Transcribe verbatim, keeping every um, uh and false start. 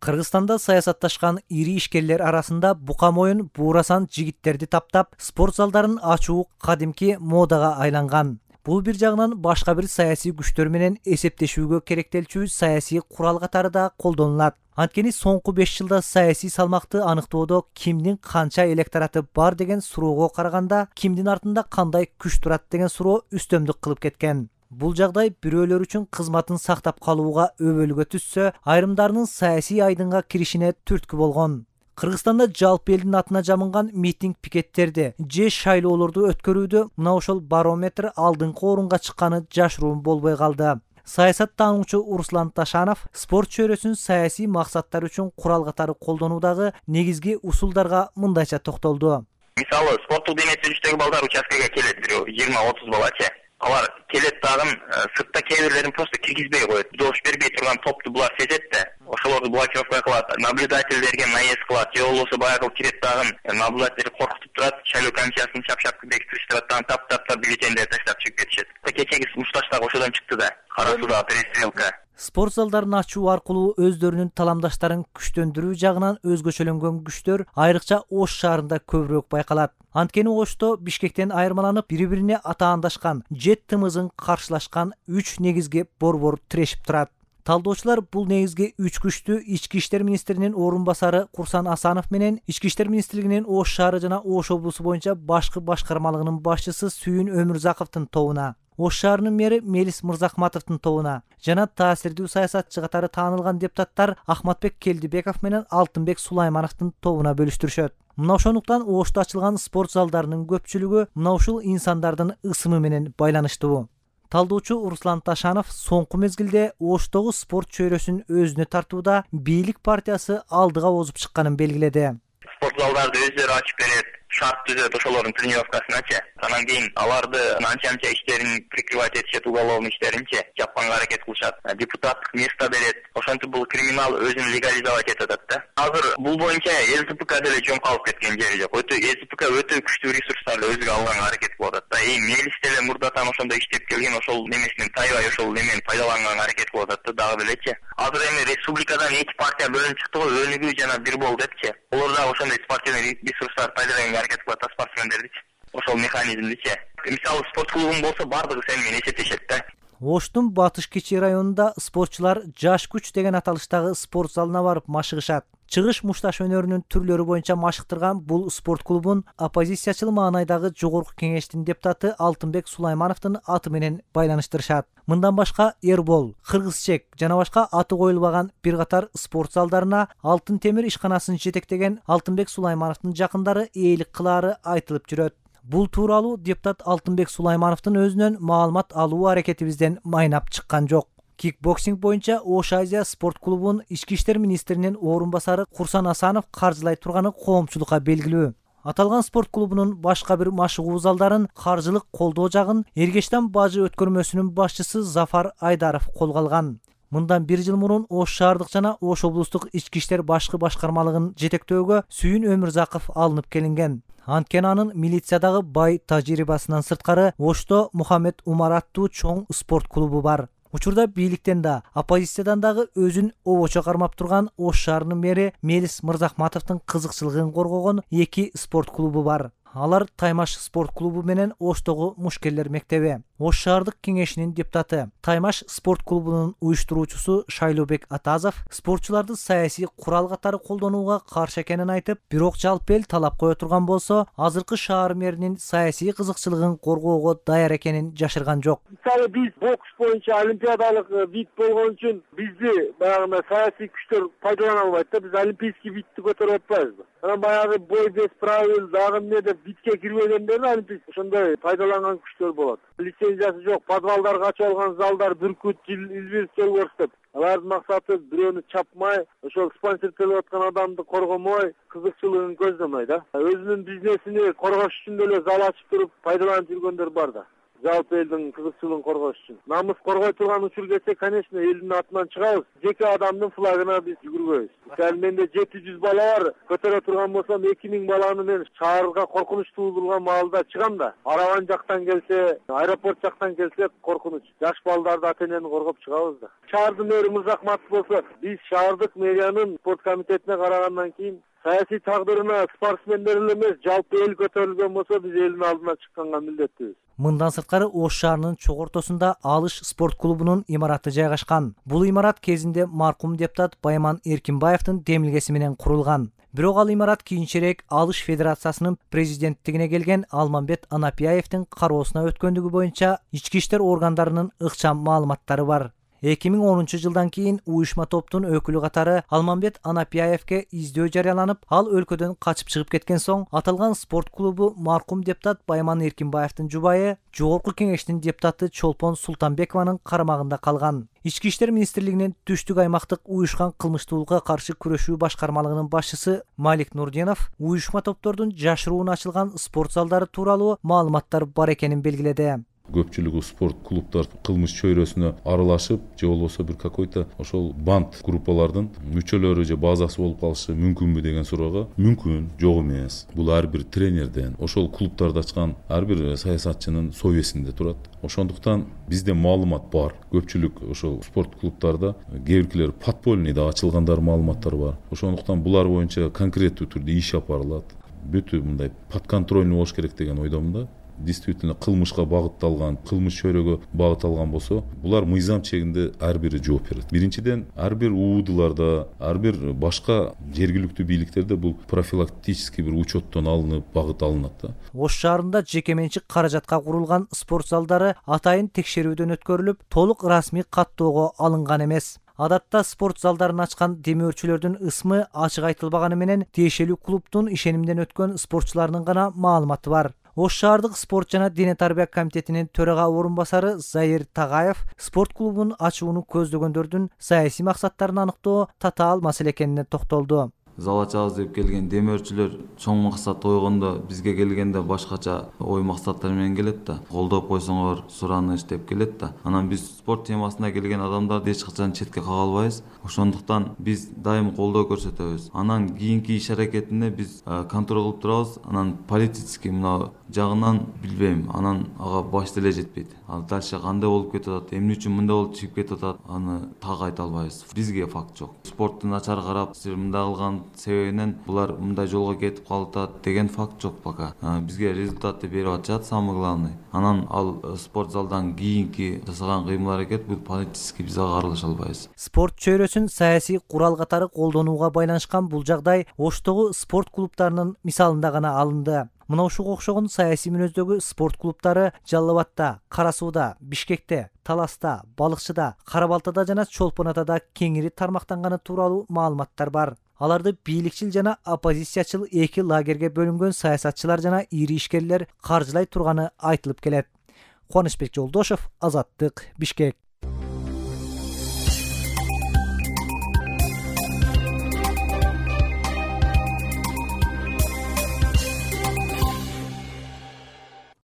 Кыргызстанда саясатташкан ири ишкерлер арасында бука моюн буурасан жигиттерди таптап спорт залдарын ачуу кадимки модага айланган. Бул бир жагынан башка бир саясий күчтөр менен эсептешүүгө керектелчү саясий курал катары да колдонулат. Анткени соңку беш жылда саясий салмакты аныктоодо кимдин канча электораты бар деген суроого караганда кимдин артында кандай күч турат деген суроо үстөмдүк кылып кеткен. Бул жагдай бирөөлөр үчүн кызматын сактап калууга өбөлгө түшсө, айрымдарынын саясий айдынга киришине түрткү болгон. Кыргызстанда жалпы элдин атына жамынган митинг пикеттерди же шайлоолорду өткөрүүдө мына ошол барометр алдыңкы орунга чыкканы жашыруун болбой калды. Саясат таануучу Руслан Ташанов спорт чөйрөсүн саясий максаттар үчүн курал катары колдонуудагы негизги усулдарга мындайча токтолду. Мисалы, спорттук дене түзүштөгү балдар участкага келет, бирөө жыйырма отуз балачы. Алар келет дагы сыртта кээ бирлерин просто киргизбей коет. Добуш бербей турган топту булар сезет да, ошолорду блокировка кылат, наблюдательдерге наезд кылат, же болбосо баягы кирет дагы наблюдатель коркутуп турат, шайлоо комиссиясын шап-шап бекитиштират, таптап-таптап бюллетендерди таштап чыгып кетишет. Кечеги мушташ дагы ошодон чыкты да, кара суда перестрелка. Спорт залдарын ачуу аркылуу өздөрүнүн таламдаштарын күчтөндүрүү жагынан өзгөчөлөнгөн күчтөр айрыкча Ош шаарында көбүрөөк байкалат. Анткени Ошто Бишкектен айырмаланып бири-бирине атаандашкан, жет тымызын каршылашкан үч негизги борбор тирешип турат. Талдоочулар бул негизги үч күчтү Ички иштер министринин орун басары Курсан Асанов менен Ички иштер министрлигинин Ош шаары жана Ош облусу боюнча башкы башкармалыгынын башчысы Сүйүн Өмүрзаковдун тобуна, Ош шаарынын мэри Мелис Мырзахматовдун тобуна жана таасирдүү саясатчы катары таанылган депутаттар Ахматбек Келдибеков менен Алтынбек Сулаймановдун тобуна бөлүштүрүшөт. Мына ошондуктан Ошто ачылган спорт залдарынын көпчүлүгү мына ушул инсандардын ысымы менен байланыштуу. Талдоочу Руслан Ташанов соңку мезгилде Оштогу спорт чөйрөсүн өзүнө тартууда бийлик партиясы алдыга озуп чыкканын белгиледи. Спорт залдарды өздөрү ачып берет, шарт түзөт ошолордун тренировкасыначы. Анан кийин аларды анча-мынча иштерин прикрывать этишет, уголовный иштеринчи жапканга аракет кылышат. Депутаттык место берет. Ошентип бул криминал өзүн легализовать этет да. Азыр бул боюнча ЛТПК деле жөн калып кеткен жери жок. Өтө ЛТПК өтө күчтүү ресурстарды өзүгө алганга аракет кылып атат да. И Мелис деле мурдатан ошондо иштеп келген, ошол немесинен тайбай ошол немени пайдаланганга аракет кылып атат да, дагы белечи. Азыр эми республикадан эки партия бөлүнүп чыкты го, Өнүгүү жана Бир бол депчи. Олар дагы ошондой спортивный ресурстарды пайдаланганга аракет кылып атат, спортсмендердичи. Ошол механизмдичи. Мисалы спорт клубун болсо бардыгы сени менен эсептешет да. Оштун Батыш Кичи районунда спортчулар жаш күч деген аталыштагы спорт залына барып машыгышат. Чыгыш мушташ өнөрүнүн түрлөрү боюнча машыктырган бул спорт клубун оппозициячыл маанайдагы жогорку кеңештин депутаты Алтынбек Сулаймановдун аты менен байланыштырышат. Мындан башка Эрбол, Кыргызчек жана башка аты коюлбаган бир катар спорт залдарына Алтын темир ишканасын жетектеген Алтынбек Сулаймановдун жакындары ээлик кылаары айтылып жүрөт. Бул тууралуу депутат Алтынбек Сулаймановдун өзүнөн маалымат алуу аракетибизден майнап чыккан жок. Кикбоксинг боюнча Ош Азия спорт клубун Ички иштер министринин орун басары Курсан Асанов каржылай турганы коомчулукка белгилүү. Аталган спорт клубунун башка бир машыгуу залдарын каржылык колдоо жагын Эргештан бажы өткөрмөсүнүн башчысы Зафар Айдаров колго алган. Мындан бир жыл мурун Ош шаардык жана Ош облустук ички иштер башкы башкармалыгын жетектөөгө Сүйүн Өмүрзаков алынып келинген. Анткени анын милициядагы бай тажрыйбасынан сырткары Ошто Мухаммед Умар аттуу чоң спорт клубу бар. Учурда бийликтен да, оппозициядан дагы өзүн обочо кармап турган Ош шаарынын мэри Мелис Мырзахматовдун кызыкчылыгын коргогон эки спорт клубу бар. Алар Таймаш спорт клубу менен Оштогу Мушкерлер мектеби. Ош шаардык кеңешинин депутаты, Таймаш спорт клубунун уюштуруучусу Шайлообек Атазов спортчуларды саясий курал катары колдонууга каршы экенин айтып, бирок жалпы эл талап кое турган болсо, азыркы шаар мэринин саясий кызыкчылыгын коргоого даяр экенин жашырган жок. Мисалы биз бокс боюнча олимпиадалык вид болгон үчүн бизди баягы саясий күчтөр пайдалана албайт да, биз олимпийский видти көтөрүп атпайбызбы? Анан баягы бой без правил, дагы эмне деп видке кирбегендер олимпийский ошондой пайдаланган күчтөр болот. Лицензиясы жок, подвалдарга ачып алган залдар Бүркүт, Илбирс, Чөлбөрс деп. Алардын максаты бирөөнү чапмай, ошол спонсордолуп аткан адамды коргомой, кызыкчылыгын көздөмөй да. Өзүнүн бизнесини коргош үчүн деле зал ачып туруп пайдаланып жүргөндөр бар да. жалпы элдин кызыкчылыгын коргош үчүн. Намыс коргой турган учур келсе, конечно, элдин атынан чыгабыз. Жеке адамдын флагына биз жүгүрбөйбүз. Мисалы менде жети жүз бала бар, көтөрө турган болсом эки миң баланы мен шаарга коркунуч туудурган маалда чыгам да. Арабан жактан келсе, аэропорт жактан келсе коркунуч. Жаш балдарды ата-энени коргоп чыгабыз да. Шаардын мэрі Мырзахматов болсо, биз шаардык мэриянын спорт комитетине карагандан кийин саясий тагдырына спортсмендер эле эмес, жалпы эл көтөрүлгөн болсо, биз элдин алдына чыкканга милдеттүүбүз. Мындан сырткары Ош шаарынын чок ортосунда Алыш спорт клубунун имараты жайгашкан. Бул имарат кезинде маркум депутат Байман Эркинбаевдин демилгеси менен курулган. Бирок ал имарат кийинчерээк Алыш федерациясынын президенттигине келген Алмамбет Анапияевдин кароосуна өткөндүгү боюнча ички иштер органдарынын ыкчам маалыматтары бар. эки миң онунчу жылдан кийин уюшма топтун өкүлү катары Алмамбет Анапияевге издөө жарыяланып, ал өлкөдөн качып чыгып кеткен соң, аталган спорт клубу маркум депутат Байман Эркинбаевдин жубайы, жогорку кеңештин депутаты Чолпон Султанбекованын карамагында калган. Ички иштер министрлигинин түштүк аймактык уюшкан кылмыштуулукка каршы күрөшүү башкармалыгынын башчысы Малик Нурдинов уюшма топтордун жашыруун ачылган спорт залдары тууралуу маалыматтар бар экенин белгиледи. Көпчүлүгү спорт клубдар кылмыш чөйрөсүнө аралашып, же болбосо бир какой-то ошол банд группалардын мүчөлөрү же базасы болуп калышы мүмкүнбү деген суроого мүмкүн, жок эмес. Бул ар бир тренерден, ошол клубтарды ачкан ар бир саясатчынын совестинде турат. Ошондуктан бизде маалымат бар. Көпчүлүк ошол спорт клубтарда кээ биркилер подпольныйда ачылгандар маалыматтар бар. Ошондуктан булар боюнча конкреттүү түрдө иш алып барылат. Бүтү мындай подконтрольный болуш керек деген ойдомун да. Действительно кылмышка багытталган, кылмыш чөйрөгө багытталган болсо, булар мыйзам чегинде ар бири жооп берет. Биринчиден, ар бир уудуларда, ар бир башка жергиликтүү бийликтерде бул профилактический бир учеттон алынып, багыт алынат да. Ош шаарында жеке менчик каражатка курулган спорт залдары атайын текшерүүдөн өткөрүлүп, толук расмий каттоого алынган эмес. Адатта спорт залдарын ачкан демөөрчүлөрдүн ысмы ачык айтылбаганы менен тиешелүү клубдун ишенимден өткөн спортчуларынын гана маалыматы бар. Ош шаардык спорт жана дене тарбия комитетинин төрага орун басары Заир Тагаев спорт клубун ачууну көздөгөндөрдүн саясий максаттарын аныктоо татаал маселе экенине токтолду. Зал ачабыз деп келген демөөрчүлөр чоң максат койгондо бизге келгенде башкача ой максаттар менен келет да. Колдоп койсоңор сураныч деп келет да. Анан биз спорт темасына келген адамдарды эч качан четке кага албайбыз. Ошондуктан биз дайым колдоо көрсөтөбүз. Анан кийинки иш аракетинде биз контроль кылып турабыз. Анан политический мына жагынан билбейм. Анан ага баш деле жетпейт. Ал дальше кандай болуп кетип атат, эмне үчүн мындай болуп чыгып кетип атат, аны так айта албайбыз. Бизге факт жок. Спортту начар карап, силер мындай кылган себебинен булар мындай жолго кетип калат деген факт жок пока. Бизге результатты берип атышат, самый главный. Анан ал спорт залдан кийинки жасаган кыймыл аракет бул политический биз ага аралаша албайбыз. Спорт чөйрөсүн саясий курал катары колдонууга байланышкан бул жагдай Оштогу спорт клубтарынын мисалында гана алынды. Мына ушуга окшогон саясий мүнөздөгү спорт клубтары Жалал Абадта, Кара Сууда, Бишкекте, Таласта, Балыкчыда, Кара Балтада жана Чолпон Атада кеңири тармактанганы тууралуу маалыматтар бар. Аларды бийликчил жана оппозициячыл эки лагерге бөлүнгөн саясатчылар жана ири ишкерлер каржылай турганы айтылып келет. Кубанычбек Жолдошев, Азаттык, Бишкек.